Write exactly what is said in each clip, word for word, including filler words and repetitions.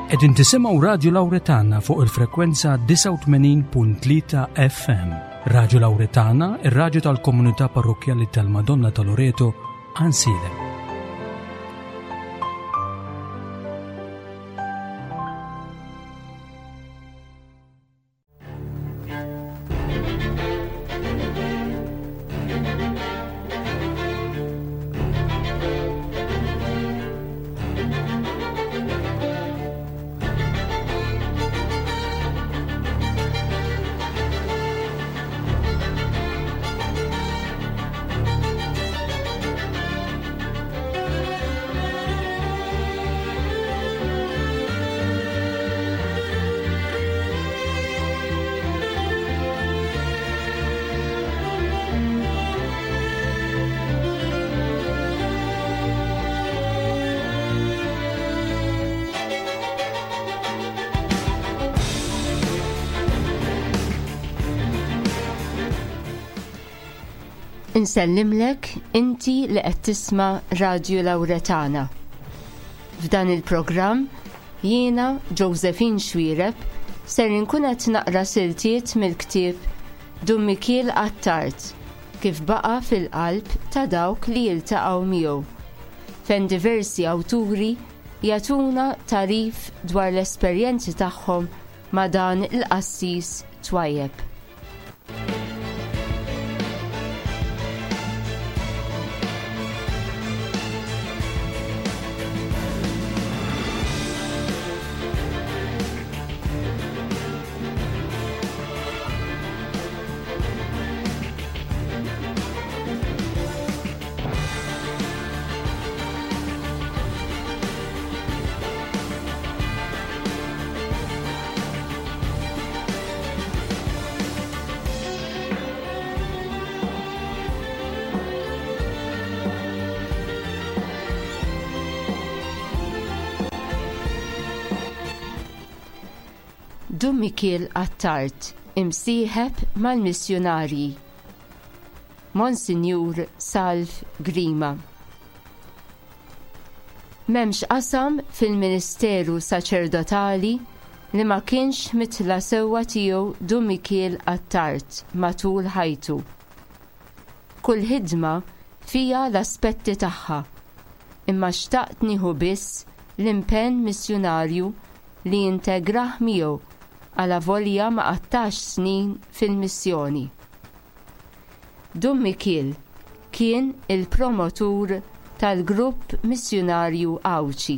Qegħdin tisimgħu Radju Lawretana fuq il-frekwenza disgħa u tmenin punt tlieta F M. Radju Lawretana, ir-radju tal-komunità parrokkjali tal-Madonna ta' Loreto, Għajnsielem. Insellimlek inti li qed tisma' Radju Lawretana. F'dan il-programm jiena Josephine Xuereb ser inkun qed naqra siltiet mill-ktieb Dun Mikiel Attard kif baqa' fil-qalb ta' dawk li jiltaqgħu miegħu, fejn diversi awturi jagħtuna tarif dwar l-esperjenzi tagħhom ma' dan il-qassis twajjeb. Dun Mikiel Attard, imsieħeb mal-missjunarji. Monsinjur Salv Grima. M'hemmx qasam fil-Ministeru Saċerdotali li ma kienx mitla sewwa tiegħu Dun Mikiel Attard matul ħajtu. Kull ħidma fija l-aspetti tagħha, imma xtaqt nieħu biss l-impenn missjunarju li jintegrah miegħu għala volja ma qattax snin fil-missjoni. Dun Mikiel kien il-promotur tal-grupp missjunarju Għawdxi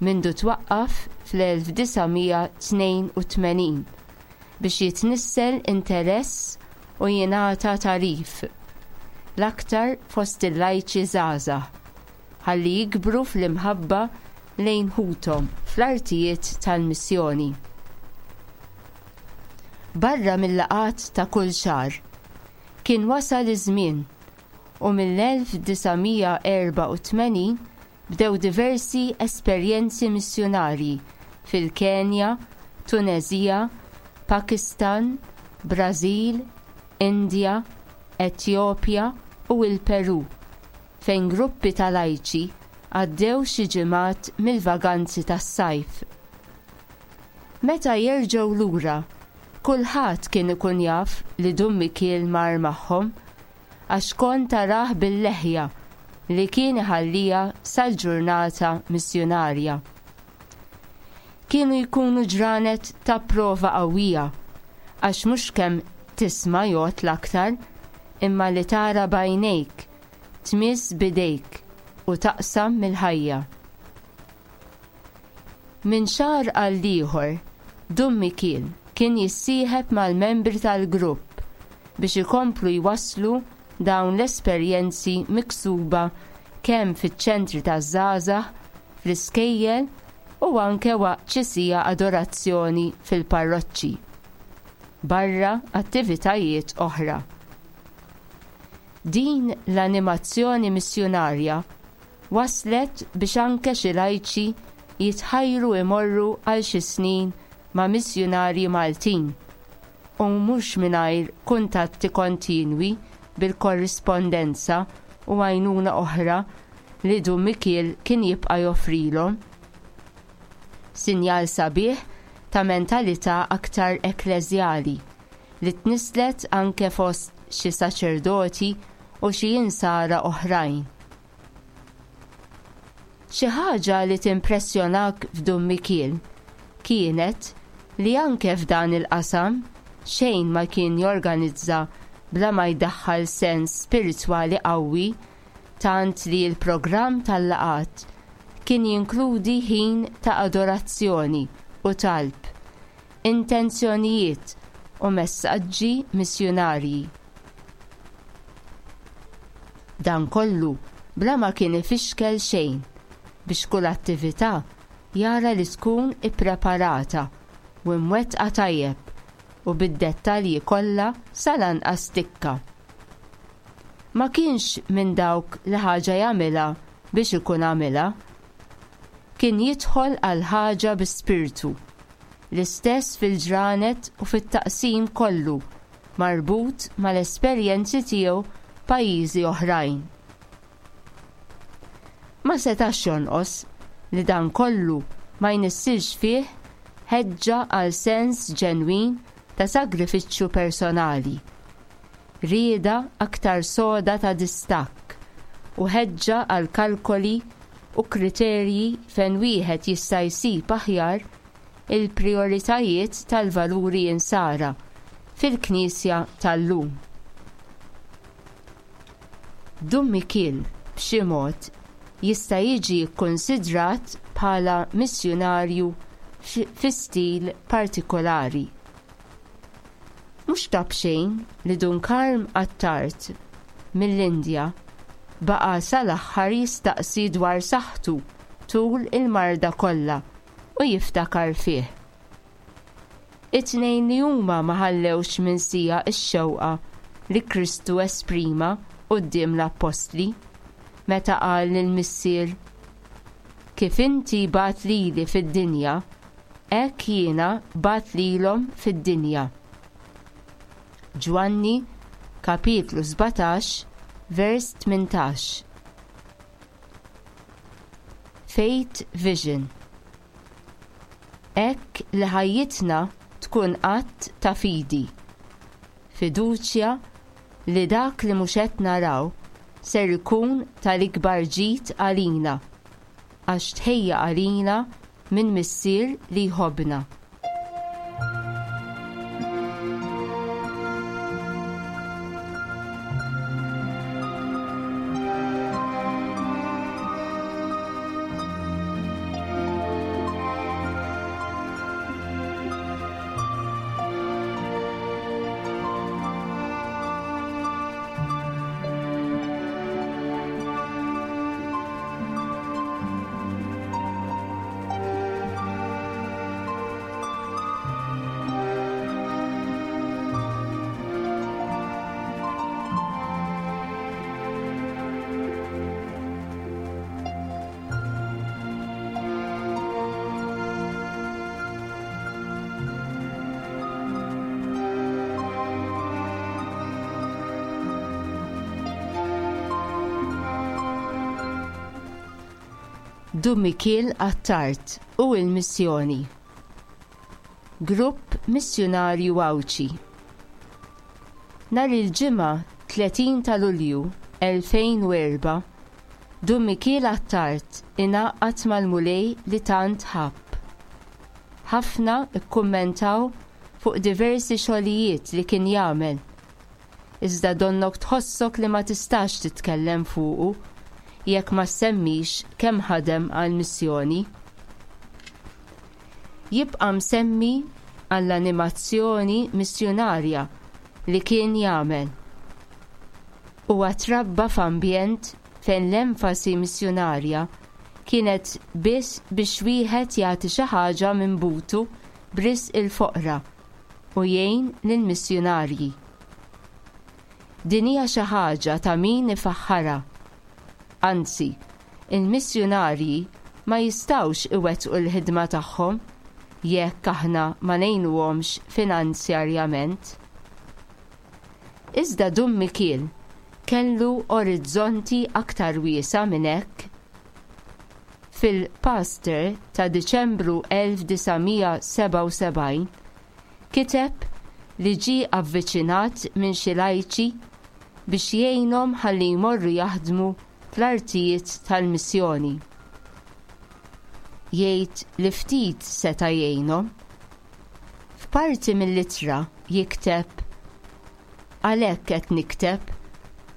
mindu twaqqaf fl-elf disa' mija tnejn u tmenin biex jitnissel interess u jingħata tarif, l-aktar fost il-lajċi żgħażagħ, ħalli jikbru fl-imħabba lejn ħuthom fl-artijiet tal-missjoni. Barra mill-laqgħat ta' kull xahar, kien wasal iż-żmien u mill-elf disa' mija erba' u tmenin bdew diversi esperjenzi missjunarji fil-Kenja, Tunezija, Pakistan, Brażil, Indja, Etjopja u l-Peru, fejn gruppi ta' lajċi għaddew xi ġimgħat mill-vaganzi tas-sajf. Meta jerġgħu lura, kulħadd kien ikun jaf li Dun Mikiel mar magħhom, għax kont tarah bil-leħja li kien iħallija sal-ġurnata missjunarja. Kienu jkunu ġranet ta' prova qawwija, għax mhux kemm tisma' jgħod l-aktar, imma li tara b'għajnejk, tmiss b'idejk u taqsam mill-ħajja. Minn xahar għal ieħor, Dun Mikiel kien jissieħeb mal-membri tal-grupp biex ikomplu jwasslu dawn l-esperjenzi miksuba kemm fiċ-ċentri taż-żgħażagħ, fl-iskejjel u anke waqt xi siegħa adorazzjoni fil-parroċċi, barra attivitajiet oħra. Din l-animazzjoni missjunarja waslet biex anke xi lajċi jitħajru imorru għal xi snin ma' missjunarji Maltin u mhux mingħajr kuntatti kontinwi bil-korrispondenza u għajnuna oħra li Dun Mikiel kien jibqa' joffrilhom. Sinjal sabiħ ta' mentalità aktar ekkleżjali li tnisslet anke fost xi saċerdoti u xi insara oħrajn. Xi ħaġa li timpressjonak f'Dun Mikiel kienet li anke f'dan il-qasam xejn ma kien jorganizza bla ma jdaħħal sens spiritwali qawwi, tant li l-programm tal-laqgħat kien jinkludi ħin ta' adorazzjoni u talb, intenzjonijiet u messaġġi missjunarji. Dan kollu bla ma kien ifixkel xejn biex kull attività jara li tkun ippreparata u mwettqa tajjeb u bid-dettalji kollha sal-anqas tikka. Ma kienx minn dawk li ħaġa jagħmilha biex ikun għamilha. Kien jidħol għal ħaġa bi spirtu, l-istess fil-ġranet u fit-taqsim kollu marbut mal-esperjenzi tiegħu pajjiżi oħrajn. Ma setax jonqos li dan kollu ma jnissilx fih ħeġġa għal sens ġenwin ta' sagrifiċċju personali, rieda aktar soda ta' distakk u ħeġġa għal kalkoli u kriterji fejn wieħed jista' jsib aħjar il-prijoritajiet tal-valuri insara fil-Knisja tal-lum. Dun Mikiel b'xi mod jista' jiġi kkonsidrat bħala missjunarju fi stil partikolari. Mhux ta' b'xejn li Dun Karm Attard mill-Indja baqa' sal-aħħar jistaqsi dwar saħħtu tul il-marda kollha u jiftakar fih. It-tnejn li huma ma ħallewx minsija x-xewqa li Kristu esprima quddiem l-Appostli meta qal lill-Missier: Kif inti bat lili fid-dinja, hekk jiena bat lilhom fid-dinja. Ġwanni, kapitlu sbatax, vers tmintax. Faith Vision. Hekk li ħajjitna tkun att ta' fidi, fiduċja li dak li mhux qed naraw ser ikun tal-ikbar ġid għalina, għax tħejja għalina minn Missier li jħobbna. Dun Mikiel Attard u l-Missjoni. Grupp Missjunarju Għawdxi. Nhar il-Ġimgħa tletin ta' Lulju elfejn u erba', Dun Mikiel Attard ingħaqad mal-Mulej li tant ħabb. Ħafna kkummentaw fuq diversi xogħlijiet li kien jagħmel, iżda donnok tħossok li ma tistax titkellem fuqu jekk ma semmix kemm ħadem għall-missjoni. Jibqa' msemmi għall-animazzjoni missjunarja li kien jagħmel. Huwa trabba f'ambjent fejn l-enfasi missjunarja kienet biss biex wieħed jagħti xi ħaġa minn butu b'risq il-foqra u jgħin lill-missjunarji. Din hija xi ħaġa ta' min ifaħħarha. Anzi, il-missjunarji ma jistgħux iwettqu l-ħidma tagħhom jekk aħna ma ngħinuhomx finanzjarjament. Iżda Dun Mikiel kellu orizzonti aktar wiesa' minn hekk. Fil-Pastor ta' Diċembru elf disa' mija sebgħa u sebgħin kiteb li ġie avviċinat minn xi lajċi biex jgħinhom ħalli jmorru jaħdmu fl-artijiet tal-missjoni. Jgħid li ftit seta' jgħinhom. F'parti mill-ittra jikteb: Għalhekk qed nikteb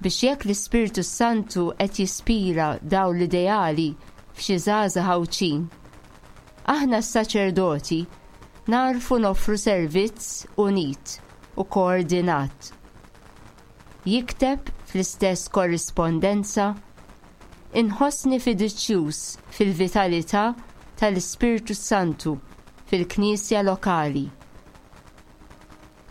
biex jekk l-Ispirtu Santu qed jispira dawn l-ideali f'xi żgħażagħ Għawdxin, aħna s-saċerdoti narfu noffru servizz unit u koordinat. Jikteb fl-istess korrispondenza: Inħossni fiduċjuż fil-vitalità tal-Ispirtu Santu fil-Knisja lokali,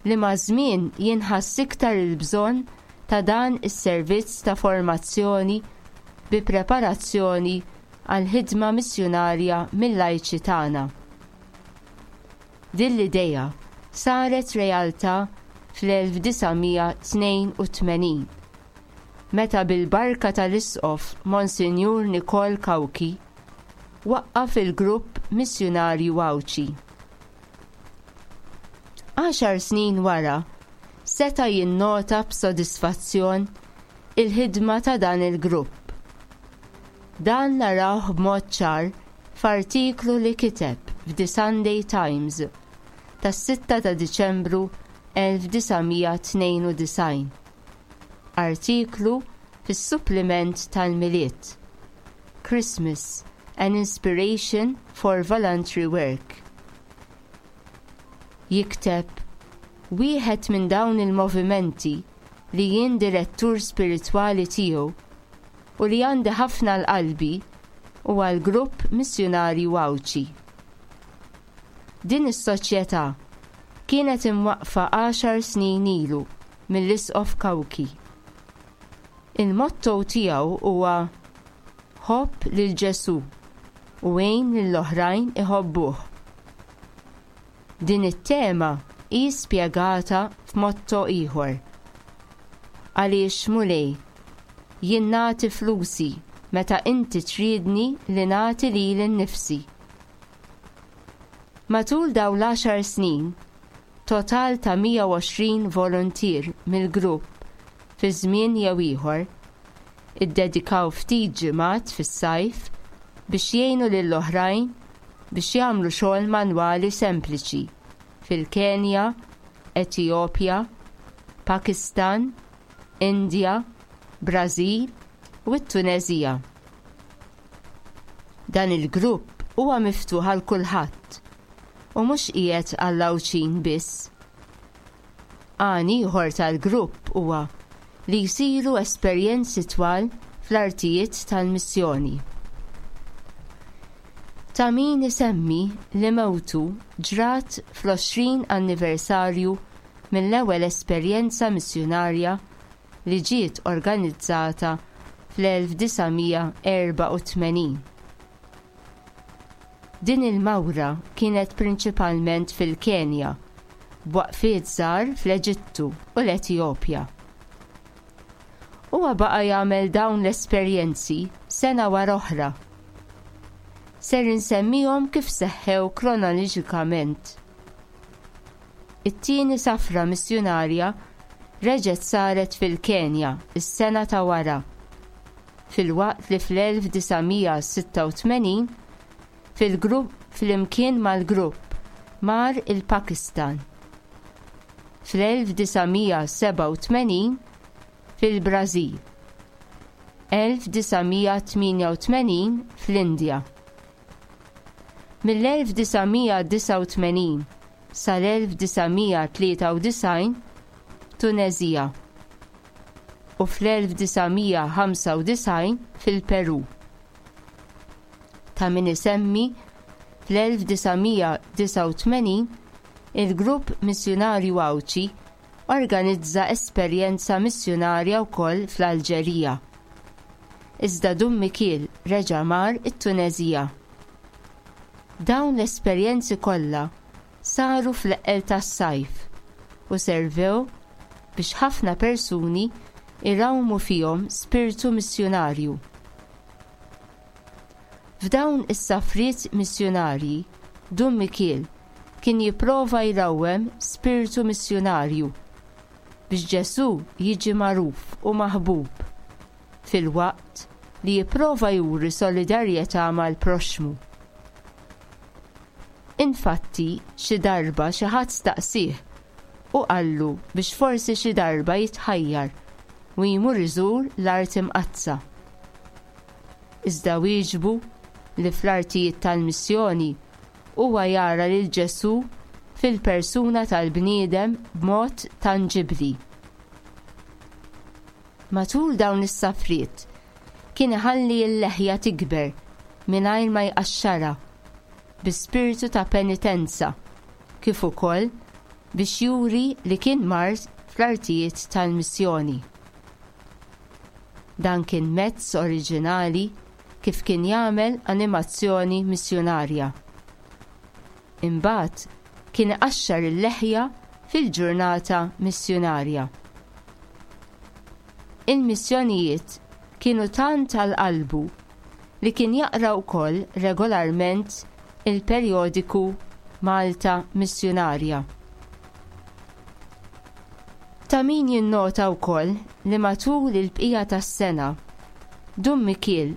li ma' żmien jinħass iktar il-bżonn ta' dan is-servizz ta' formazzjoni bi preparazzjoni għal ħidma missjunarja mill-lajċi tagħna. Din l-idea saret realtà fl-elf disa' mija tnejn u tmenin, meta bil-barka tal-Isqof Monsinjur Nikol Cauchi waqqaf il-grupp missjunarju Għawdxi. Għaxar snin wara, seta' jinnota b'sodisfazzjon il-ħidma ta' dan il-grupp. Dan narawh b'mod ċar f'artiklu li kiteb f'The Sunday Times tas-sitta ta' Diċembru elf disa' mija tnejn u disgħin. Artiklu fis-suppliment tal-Milied, Christmas, an Inspiration for Voluntary Work. Jikteb: Wieħed minn dawn il-movimenti li jien direttur spiritwali tiegħu u li għandi ħafna l-qalbi huwa l-grupp missjunarju Għawdxi. Din is-soċjetà kienet imwaqqfa għaxar snin ilu mill-Isqof Cauchi. Il-motto tiegħu huwa Ħobb lil Ġesù u għin lill-oħrajn iħobbuh. Din it-tema hi spjegata f'motto ieħor. Għaliex Mulej, jien nagħti flusi meta inti tridni li nagħti lili nnifsi. Matul dawn l-għaxar snin, total ta' mija u għoxrin volontier mill-grupp fi żmien jew ieħor iddedikaw ftit ġimgħat fis-sajf biex jgħinu lill-oħrajn biex jagħmlu xogħol manwali sempliċi fil-Kenja, Etjopja, Pakistan, Indja, Brażil u t-Tunezija. Dan il-grupp huwa miftuħ għal kulħadd u mhux qiegħed għall-Għawdxin biss. Għan ieħor tal-grupp huwa li jsiru esperjenzi twal fl-artijiet tal-missjoni. Ta' min isemmi li mewtu ġrat fl-għoxrin anniversarju mill-ewwel esperjenza missjunarja li ġiet organizzata fl-elf disa' mija erba' u tmenin. Din il-mawra kienet prinċipalment fil-Kenja, b'waqfiet żgħar fl-Eġittu u l-Etjopja. Huwa baqa' jagħmel dawn l-esperjenzi sena wara oħra. Ser insemmihom kif seħħew kronoloġikament. It-tieni safra missjunarja reġgħet saret fil-Kenja is-sena ta' wara, filwaqt li fl-elf disa' mija sitta u tmenin fil-grupp flimkien mal-grupp mar il-Pakistan. Fl-elf disa' mija sebgħa u tmenin fil-Brażil, elf disa' mija tmienja u tmenin fl-Indja. Mill-elf disa' mija disgħa u tmenin sal-elf disa' mija tlieta u disgħin Tunezija u fl-elf disa' mija ħamsa u disgħin fil-Peru. Ta' min isemmi fl-elf disa' mija disgħa u tmenin il-grupp missjunarju Għawdxi organizza esperjenza missjunarja wkoll fl-Alġerija. Iżda Dun Mikiel reġa' mar it-Tunezija. Dawn l-esperjenzi kollha saru fl-eqqel tas-sajf u servew biex ħafna persuni irawmu fihom spiritu missjunarju. F'dawn is-safriet missjunarji, Dun Mikiel kien jipprova jrawwem spiritu missjunarju biex Ġesù jiġi magħruf u maħbub, filwaqt li jipprova juri solidarjetà mal-proxxmu. Infatti, xi darba xi ħadd staqsih u qallu biex forsi xi darba jitħajjar u jmur iżur l-Art Imqaddsa. Iżda wieġbu li fl-artijiet tal-missjoni huwa jara lil Ġesù fil-persuna tal-bniedem b'mod tanġibbli. Matul dawn is-safriet kien iħalli l-leħja tikber mingħajr ma jqaxxarha bi spiritu ta' penitenza, kif ukoll biex juri li kien mar fl-artijiet tal-missjoni. Dan kien mezz oriġinali kif kien jagħmel animazzjoni missjunarja. Imbagħad kien iqaxxar il-leħja fil-ġurnata missjunarja. Il-missjonijiet kienu tant għal qalbu li kien jaqra wkoll regolarment il-perjodiku Malta Missjunarja. Ta' min jinnota wkoll li matul il-bqija tas-sena, Dun Mikiel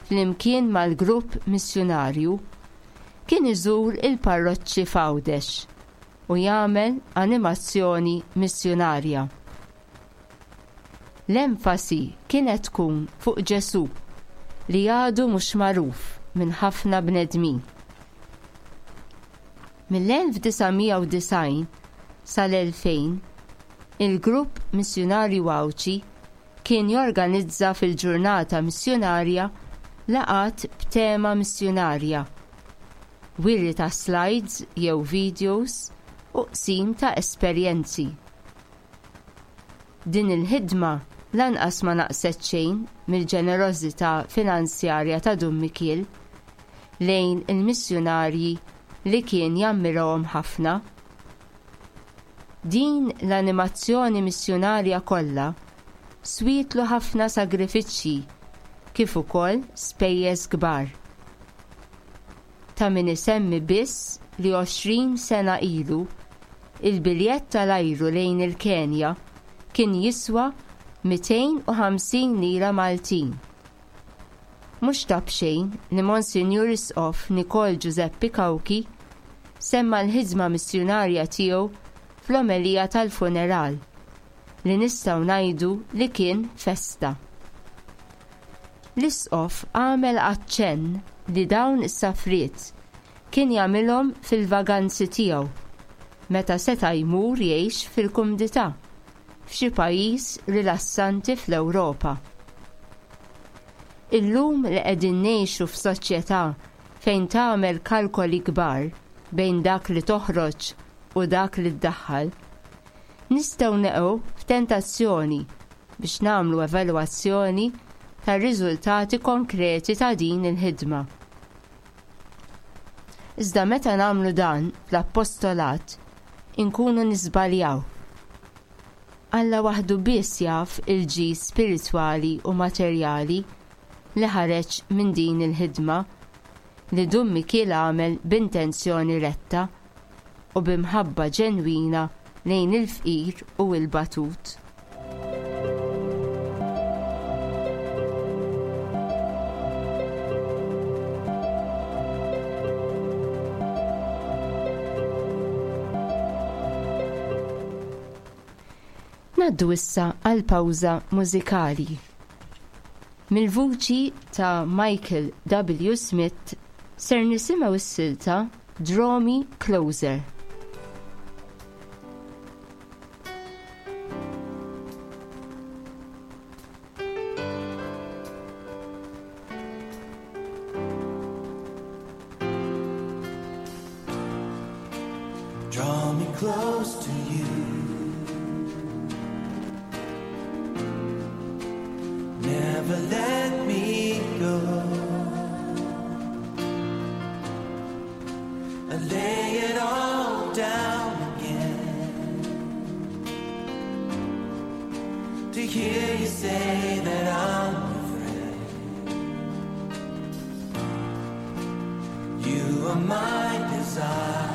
flimkien mal-grupp missjunarju kien iżur il-parroċċi f'Għawdex u jagħmel animazzjoni missjunarja. L-enfasi kienet tkun fuq Ġesù li għadu mhux magħruf minn ħafna bnedmin. Mill-elf disa' mija u disgħin sal-elfejn, il-grupp missjunarju Għawdxi kien jorganizza fil-ġurnata missjunarja laqgħat b'tema missjunarja, wiri ta' slides jew videos u qsim ta' esperjenzi. Din il-ħidma lanqas ma naqset xejn mill-ġenerożità finanzjarja ta' Dun Mikiel lejn il-missjunarji li kien jammirahom ħafna. Din l-animazzjoni missjunarja kollha swietlu ħafna sagrifiċċji kif ukoll spejjeż kbar. Ta' min isemmi biss li għoxrin sena ilu il-biljett tal-ajru lejn il-Kenja kien jiswa mitejn u ħamsin lira Maltin. Mhux ta' b'xejn li Monsinjur Isqof Nikol Giuseppe Cauchi semma l-ħidma missjunarja tiegħu fl-omelija tal-funeral li nistgħu ngħidu li kien festa. L-Isqof għamel aċċenn li dawn is-safriet kien jagħmilhom fil-vaganzi tiegħu meta seta' jmur jgħix fil-kumdità f'xi pajjiż rilassanti fl-Ewropa. Illum li qegħdin ngħixu f'soċjetà fejn tagħmel kalkoli kbar bejn dak li toħroġ u dak li ddaħħal, nistgħu neqgħu f'tentazzjoni biex nagħmlu evalwazzjoni tar-riżultati konkreti ta' din il-ħidma. Iżda meta nagħmlu dan fl-appostolat, inkunu nisbaljaw. Alla waħdu biss jaf il-ġid spiritwali u materjali li ħareġ minn din il-ħidma li Dun Mikiel għamel b'intenzjoni retta u b'imħabba ġenwina lejn il-fqir u l-batut. Naddu issa għal pawża mużikali. Mill-vuċi ta' Michael W. Smith ser nisimgħu s-silta Draw Me Closer. Draw me close to you. Never let me go. I lay it all down again to hear you say that I'm your friend. my desire.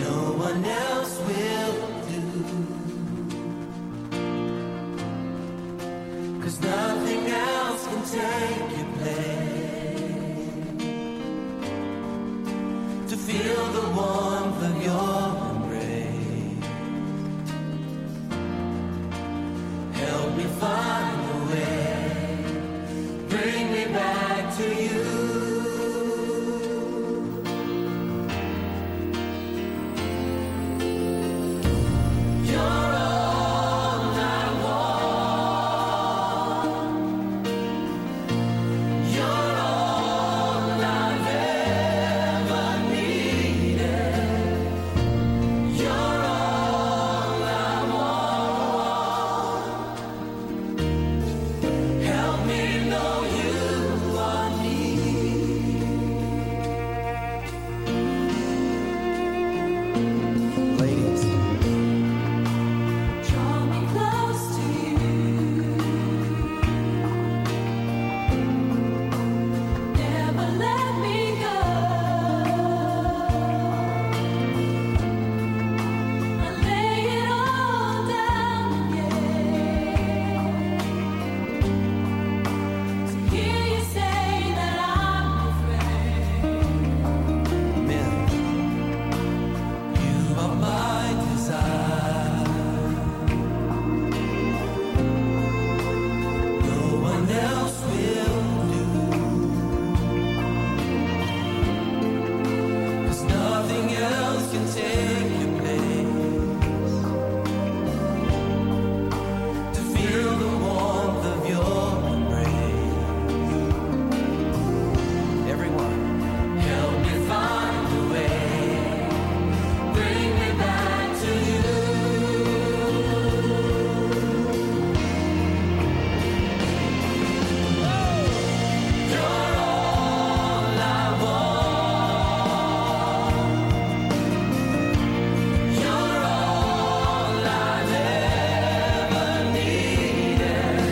No one else will do. 'Cause nothing else can take your place. To feel the warmth of your embrace. Help me find the way. Bring me back to you. You're all I want. You're all I've ever needed. You're all I want. Help me know you are near. Ladies, Draw me close to you. Never let me go. I lay it all down again to hear you say that I'm your friend. Men, you are my desire. No one else will do. 'Cause nothing else can take your place. To feel the warmth of your embrace. everyone, Help me find a way. Bring me back to you. You're all I want. You're all I've ever needed.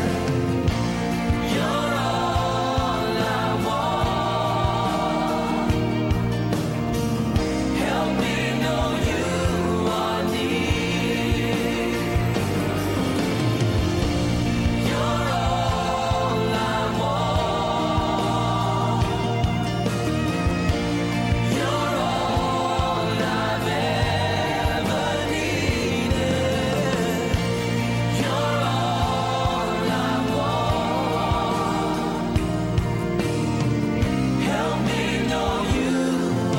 You're all I want. Help me know you are near. You're all I want. You're all I've ever needed. You're all I want. Help me know you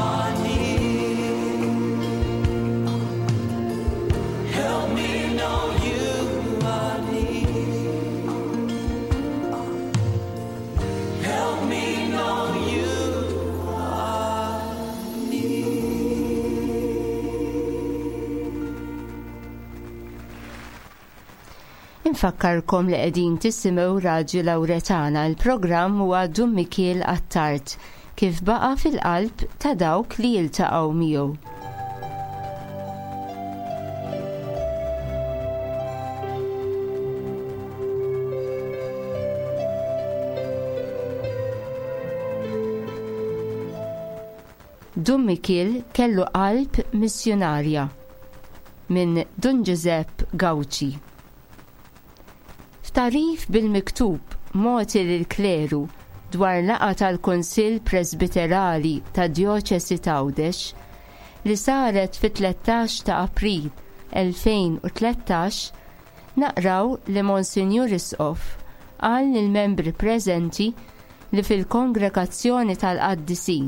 are near. Help me know you are near. Help me know you are near. Infakkarkom li qegħdin tisimgħu Radju Lawretana, il-programm huwa Dun Mikiel Attard kif baqa' fil-qalb ta' dawk li jiltaqgħu miegħu. Dun Mikiel kellu qalb missjunarja minn Dun Giuseppe Gauci. F'tarif bil-miktub mogħti lill-kleru dwar laqgħa tal-Kunsill Presbiterali ta' Djoċesi t'Għawdex li saret fit-tlettax ta' April elfejn u tlettax, naqraw li Monsinjur Isqof qal lill-membri preżenti li fil-Kongregazzjoni tal-Qaddisin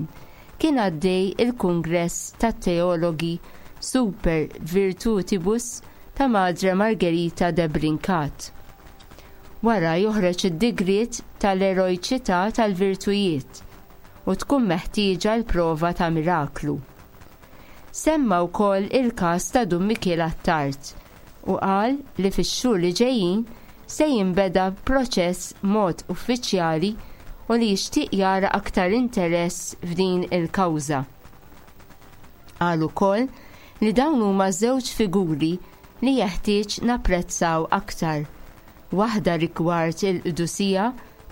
kien għaddej il-Kungress tat-Teologi Super Virtutibus ta' Madre Margherita de Brincat. Wara joħroġ id-digriet tal-eroiċità tal-virtujiet u tkun meħtieġa l-prova ta' miraklu. Semma wkoll il-każ ta' Dun Mikiel Attard u qal li fix-xhur li ġejjin se jinbeda proċess mod uffiċjali u li jixtieq jara aktar interess f'din il-kawża. Qal ukoll li dawn huma żewġ figuri li jeħtieġ napprezzaw aktar, waħda rigward il-qdusija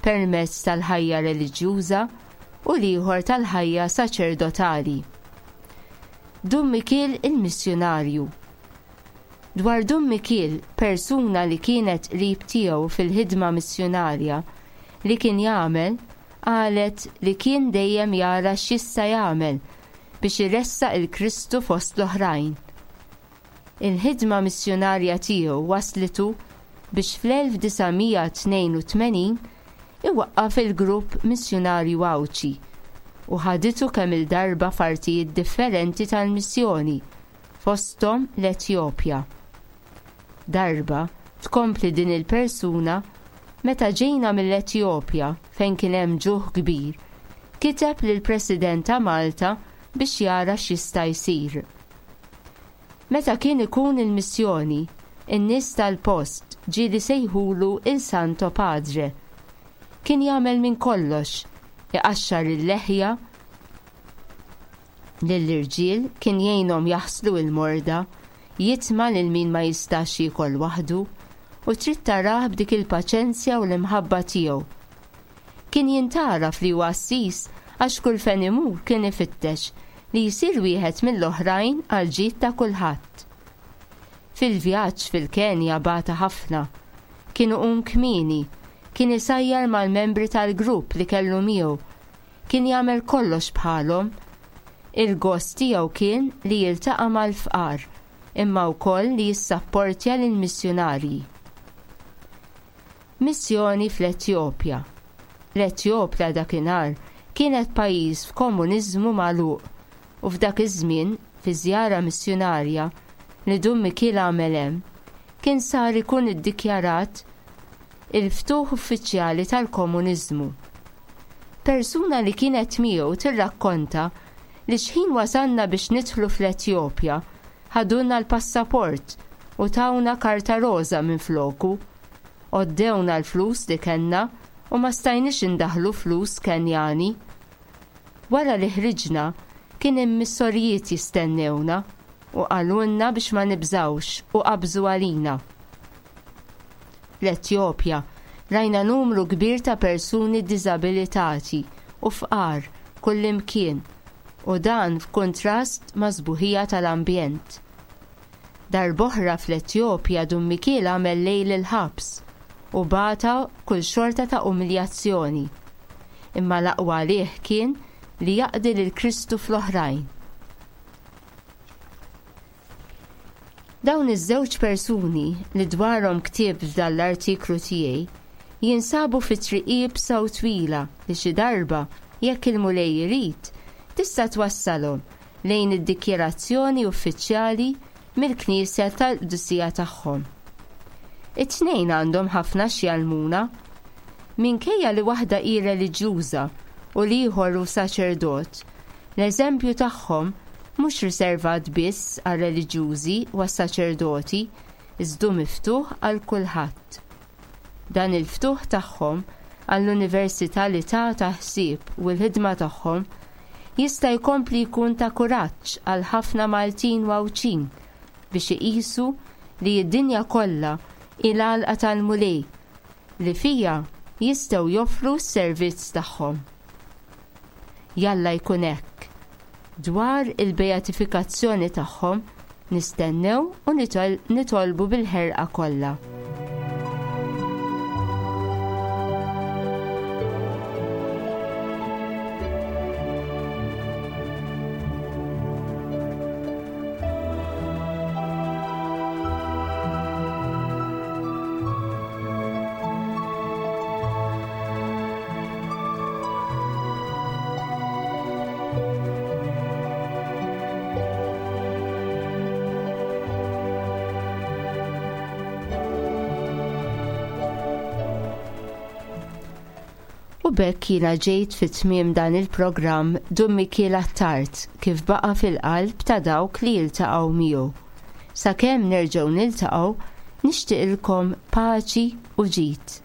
permezz tal-ħajja reliġjuża u l-ieħor tal-ħajja saċerdotali. Dun Mikiel il-missjunarju. Dwar Dun Mikiel, persuna li kienet qrib tiegħu fil-ħidma missjunarja li kien jagħmel, qalet li kien dejjem jara x'jista' jagħmel biex iressaq il-Kristu fost l-oħrajn. Il-ħidma missjunarja tiegħu waslitu biex fl-elf disa' mija tnejn u tmenin iwaqqaf il-grupp missjunarju Għawdxi u ħaditu kemm il-darba f'artijiet differenti tal-missjoni, fosthom l-Etjopja. Darba tkompli din il-persuna meta ġejna mill-Etjopja fejn kien hemm ġuħ kbir, kiteb lill-President ta' Malta biex jara x'jista' jsir. Meta kien ikun il-missjoni, in-nies tal-post ġieli sejħulu il-Santo Padre. Kien jagħmel minn kollox, iqaxxar il-leħja lill-irġiel, kien jgħinhom jaħslu il-morda, jitma' lil min ma jistax jiekol waħdu, u trid tarah b'dik il-paċenzja u l-imħabba tiegħu. Kien jintaraf li huwa qassis għax kull fejn imur kien ifittex li jsir wieħed mill-oħrajn għal ġid ta' kulħadd. Fil-vjaġġ fil-Kenja bata ħafna, kien iqum kmieni, kien isajjar mal-membri tal-grupp li kellu miegħu, kien jagħmel kollox bħalhom. Il-gost tiegħu kien li jiltaqa' mal-fqar, imma wkoll li jissapportja lill-missjunarji. Missjoni fl-Etjopja. L-Etjopja dakinhar kienet pajjiż f'komuniżmu magħluq u f'dak iż-żmien fi żjara missjunarja li Dun Mikiel għamel hemm, kien sar ikun iddikjarat il-ftuħ uffiċjali tal-komuniżmu. Persuna li kienet miegħu tirrakkonta li xħin wasalna biex nidħlu fl-Etjopja, ħadulna l-passaport u tawna karta roża minn floku. Għoddewna l-flus li kellna u ma stajniex indaħlu flus Kenjani. Wara li ħriġna, kien hemm missorijiet jistennewna u qalulna biex ma nibżawx u qabżu għalina. L-Etjopja rajna numru kbir ta' persuni diżabilitati u fqar kullimkien, u dan f'kuntrast ma' sbuħija tal-ambjent. Darb'oħra fl-Etjopja Dun Mikiel għamel lejl il-ħabs u bata kull xorta ta' umiljazzjoni. Imma l-aqwa għalih kien li jaqdi lil Kristu fl-oħrajn. Dawn iż-żewġ persuni li dwarhom ktieb f'dan l-artiklu tiegħi jinsabu fi triq iebsa u twila li xi darba, jekk il-Mulej irid, tista' twassalhom lejn id-dikjerazzjoni uffiċjali mill-Knisja tal-Qdusija tagħhom. It-tnejn għandhom ħafna x'jgħallmuna. Minkejja li waħda hi reliġjuża u l-ieħor hu saċerdot, l-eżempju tagħhom mhux riservat biss għar-reliġjużi u għas-saċerdoti, iżdu miftuħ għal kulħadd. Dan il-ftuħ tagħhom għall-universalità ta' ħsieb u l-ħidma tagħhom jista' jkompli jkun ta' kuraġġ għal ħafna Maltin u Għawdxin biex iqisu li d-dinja kollha hi l-għalqa tal-Mulej li fija jistgħu joffru s-servizz tagħhom. Jalla jkun hekk. Dwar il-beatifikazzjoni tagħhom nistennew u nitol-, nitolbu bil-ħerqa kollha. U b'hekk jiena ġejt fi tmiem dan il-programm Dun Mikiel Attard kif baqa' fil-qalb ta' dawk li jiltaqgħu miegħu. Sakemm nerġgħu niltaqgħu, nixtieqilkom paċi u ġid.